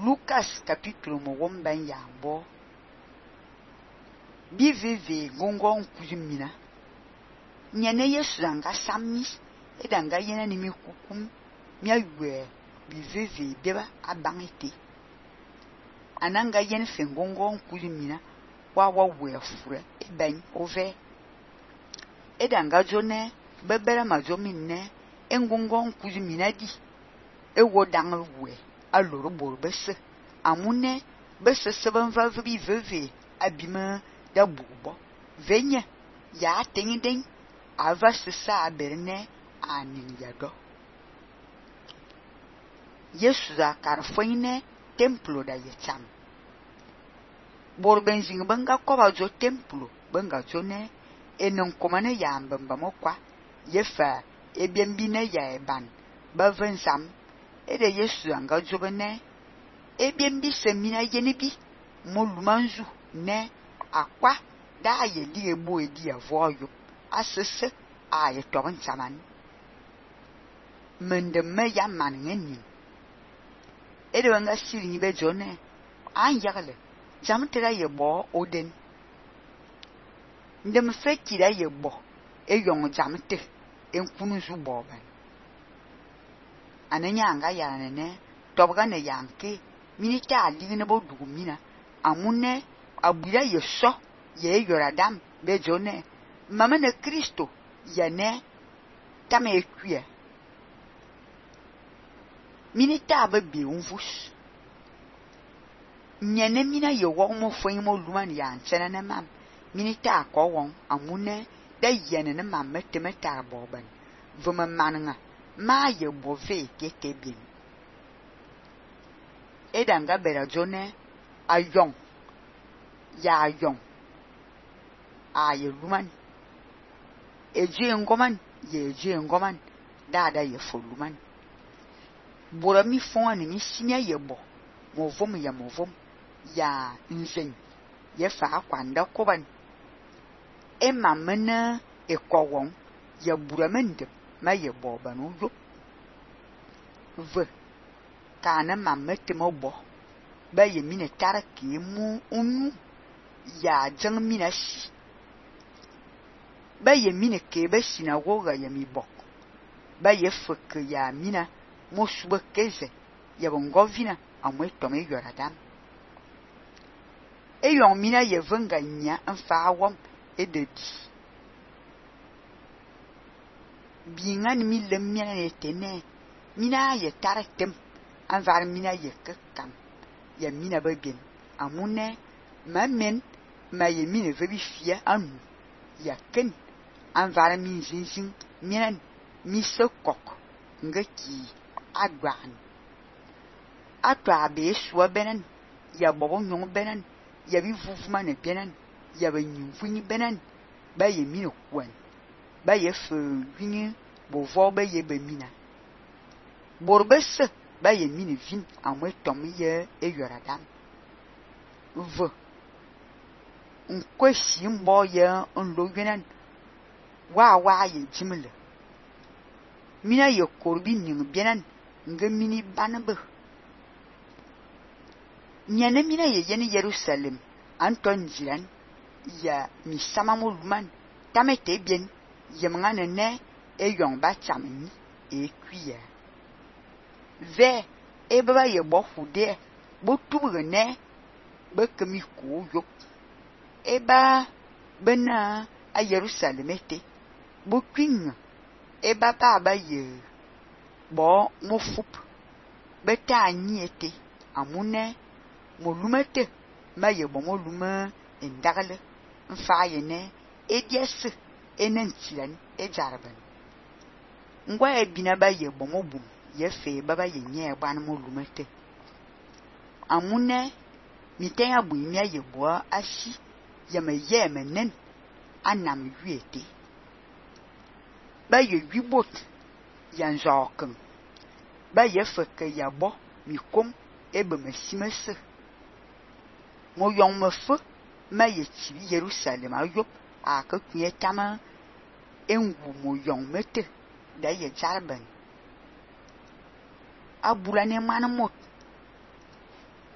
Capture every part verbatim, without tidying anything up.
Lucas capítulo mo ben ya bo bi vive gongon kuzimina nyane Yesu anga samis e danga yena ni mi kukum mi awe bi vive beba abangete ananga yen fe gongon kuzimina wa wa we fure e ben ove e danga jone bebera majominne engongon kuzimina di e wo dang we aloro bor bese amune bese seben va vi veve abima da bubo venye ya tengiden ava sesa aberne anin yado Yesu za karfoine templo da yecham bor benzing banga koba jo templo banga jone enon komane ya mbamba mokwa yefa ebiembine ya eban bavensam ede Yesu anga jobene ebiembi semina yenibi molumanzu ne akwa da ye di ebo edi avoyo asese aye toban saman mende me ya manngeni ede wanga siri ni be jone an yagle jamtera ye bo oden ndem fekira ye bo e yong jamte enkunu zu bo ban ananya anga yanene tobga ne yanke minita aligine bo dugumina amune abira yeso ye yoradam be jone mama ne Kristo yane tame ekwie minita ababe unvus nyane mina ye wo mo fon mo luman ya nchena ne mam minita akowon amune da yene ne mam metemeta boban vuma mananga ma ye bove keke bin edanga bera jone ayong ya ayong aye luman eje ngoman ye eje ngoman dada ye foluman bora mi fon ni mi simia ye bo mo vom ya mo vom ya nzen ye fa kwanda koban e mamena e kowon ya buramende ma ye bo banu yo ve kana mamete mo bo ba ye mine taraki mu unu ya jang mina si ba ye mine ke ba sinagoga ya mi bok ba ye fuk ya mina mo suba keze ya bongovina amwe tome yoradam e yon mina ye venga nya anfa awam e de di bingan mi lemmiana ne tene mina ye taratem anvar mina ye kakam ya mina bagem amune mamen ma ye mine vebi fia anu ya ken anvar min zinzin minan mi sokok ngaki agwan atwa be suwa benen ya bobo nyong benen ya bi vuvuma ne benen ya ba nyimfuni benen ba ye mine kwan ba ye fe wini bo vo ba ye ba mina borbese ba ye mine vin amwe tom ye e yoradam v nkwesi mbo ye nlo gwenan wa wa ye jimle mina ye korbi ning bienan nga mini banbe nyane mina ye yeni Jerusalem anton jiran ya mi samamo luman tamete bien ye mngane ne e yong ba chamni e kuya ve e baba ye bo fude bo tubre ne be kemi ko yo e ba bena a Jerusalem ete bo kwin e ba ba ba ye bo mo fup beta anyi ete amune mo lumete ma ye bo mo luma endagale mfa ye ne e diese enen tiran e jarban ngwa e bina ba ye bo mo bum ye fe baba ye nye ban mo lumete amune miten abu mi ye bo ashi ye me ye menen anam wiete ba ye wibot yan joken ba ye feke ya bo mi kom ebe mesimese mo yong me fe ma ye ti Jerusalem ayop akakuye tama engu mo yong mete da ye jarban abula ne manamot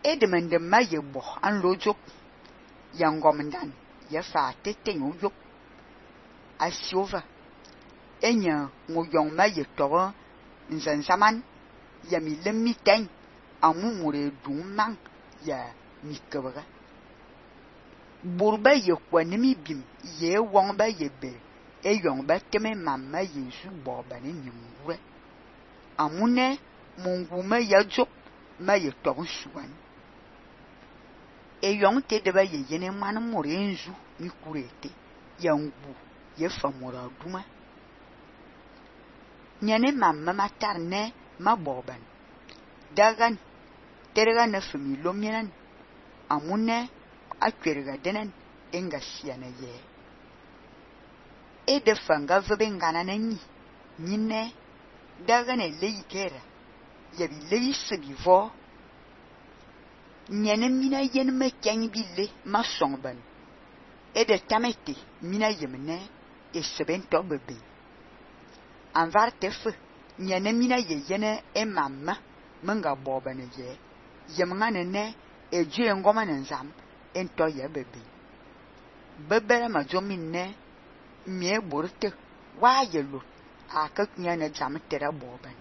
e de men de ma ye bo an lo jop ya ngomndan ya fa tete no jop asiova enya mo yong ma ye to nzan zaman ya mi lemi ten amu mure dumang ya mi kebra burba ye kwanimi bim ye wong ba ye be e yong ba teme mamma yesu bo ba ni nyumwe amune munguma ya jop ma ye to suwan e yong te de ba ye yene man mure nzu mi kurete ya ngu ye famura duma nyane mamma matarne ma boban dagan terga na fami lominan amune akwerga denen enga siana ye e de fanga vebe ngana nanyi nyine dagan e leikera ya bi leise bi vo nyane mina yen me kyan bille ma songban e de tamete mina yemne e seben to bebe anvar tef nyane mina ye yene e mamma menga bobane ye yemngane ne e jue ngoma nzam ento ye bebe bebere ma jominne mie borte wa ye lo akak nyane jam tera boban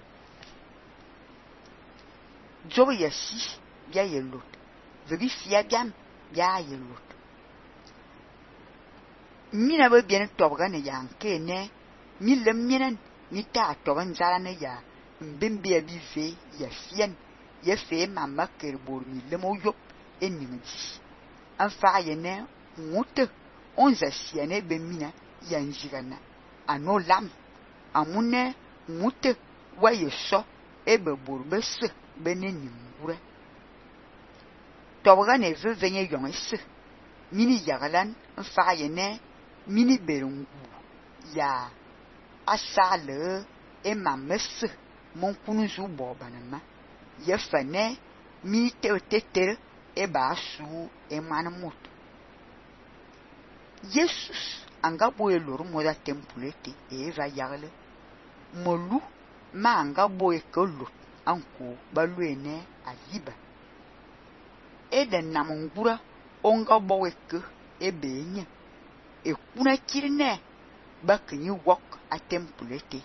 job ye si bia ye lo vebi fia biam bia ye lo mina be bien tobga ne yanke ne mi lem minen mi ta toban zara ne ya mbimbe bi fe ya fien ye fe mamma kerbor mi lemo yop enimji afa ye ne mutte onze siene be mina yanjigana ano lam amune mutte waye so ebe borbes benenim gure tobga ne ve venye yongese mini yagalan afa ye ne mini berungu ya asale e mames mon kunuzu bobanama ye fane mi te tetere e basu e manamut Jesus anga boye lor moda tempulete e va yagle molu ma anga boye kolo anko baluene aliba e de namungura onga boye ke e benye e kuna kirne bakini wok a tempulete